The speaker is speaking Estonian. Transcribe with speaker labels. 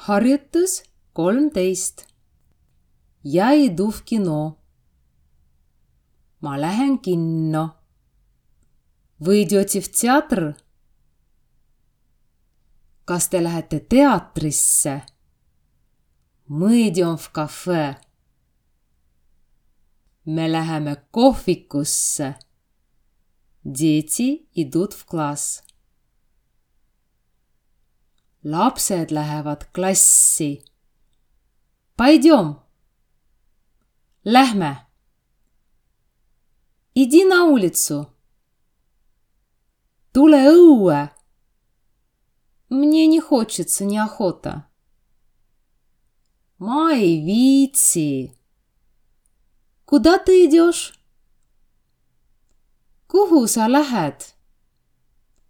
Speaker 1: Harjutus 13. Я иду в кино. Ma lähen kinno. Вы идете в театр? Kas te lähete teatrisse? Мы идем в кафе. Me läheme kohvikusse. Дети идут в класс. Lapsed lähevad klassi. Пойдем. Lähme. Иди на улицу. Tule õue. Мне не хочется, неохота. Ma ei viitsi. Куда ты идешь? Kuhu sa lähed?